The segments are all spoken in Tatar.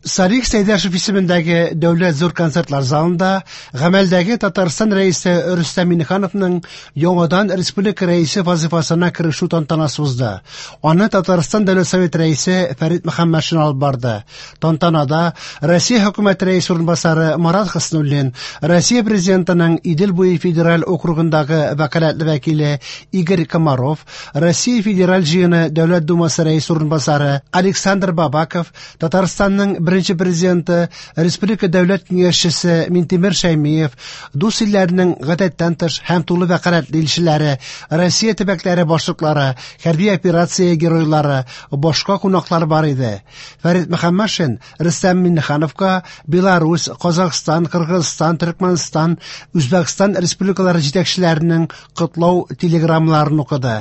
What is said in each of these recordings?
Салих Сәйдәшев исемендәге Дәүләт зур концертлар залында гамәлдәге Татарстан Рәисе Рөстәм Миңнехановның яңадан республика Рәисе вазифасына керешү тантанасы узды. Аны Татарстан Дәүләт Советы Рәисе Фәрит Мөхәммәтшин алып барды. Тантанада Россия Хөкүмәте Рәисе урынбасары Марат Хөснуллин, Россия Президентының Идел буе федераль округындагы вәкаләтле вәкиле Игорь Комаров, Россия Федераль Җыены Дәүләт Думасы Рәисе урынбасары Александр Бабаков, Татарстанның беренче президенты, республика дәүләт киңәшчесе Минтимер Шәймиев, дус илләрнең гадәттән тыш һәм тулы вәкаләтле илчеләре, Россия төбәкләре башлыклары, хәрби операция геройлары, башка кунаклар бар иде. Фәрит Мөхәммәтшин Рөстәм Миңнехановка Беларусь, Казахстан, Кыргызстан, Төркмәнстан, Үзбәкстан республикалары җитәкчеләренең котлау телеграммаларын укыды.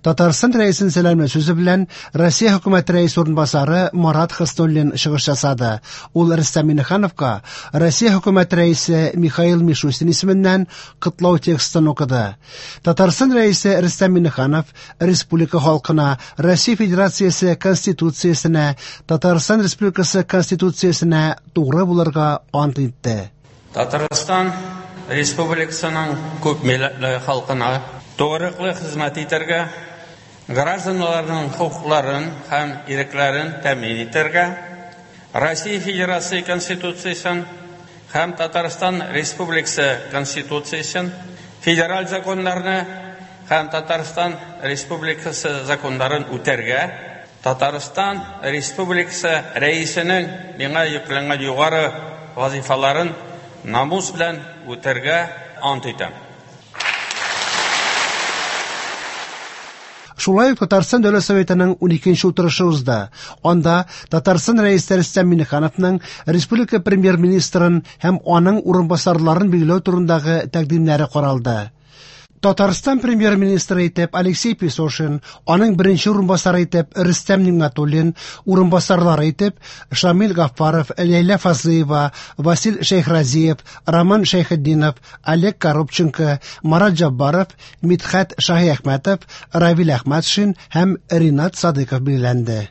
Татарстан Рәисен сәламләү сүзе белән Россия Хөкүмәте Рәисе урынбасары Марат Хөснуллин чыгыш ясады. Ул Рөстәм Миңнехановка Россия Хөкүмәте Рәисе Михаил Мишустин исеменнән котлау текстын укыды. Татарстан Рәисе Рөстәм Миңнеханов республика халкына Россия Федерациясе Конституциясенә, Татарстан Республикасы Конституциясенә тугры булырга ант итте. Татарстан Республикасының күп милләтле халкына тугрылыклы хезмәт итәргә, гражданнарның хокукларын һәм ирекләрен тәэмин итәргә, Россия Федерация Конституциясен һәм Татарстан Республикасы Конституциясен, федераль законнарны һәм Татарстан Республикасы законнарын үтәргә, Татарстан Республикасы Рәисенең миңа йөкләнгән югары вазифаларын намус белән үтәргә ант итәм. Шулай ук Татарстан Дәүләт Советының 12 утырышы узды. Анда Татарстан Рәисе Рөстәм Миңнехановның республика премьер-министрын һәм аның урынбасарларын билгеләү турындагы тәкъдимнәре каралды. Татарстан премьер-министры итеп Алексей Песошин, аның беренче урынбасары итеп Рөстәм Нигъмәтуллин, урынбасарлары итеп Шамил Гаффаров, Ләйлә Фазлыева, Васил Шәйхразиев, Роман Шәйхетдинов, Олег Коробченко, Марат Җаббаров, Мидхәт Шаһиәхмәтов, Равил Әхмәтшин һәм Ринат Садыйков билгеләнде.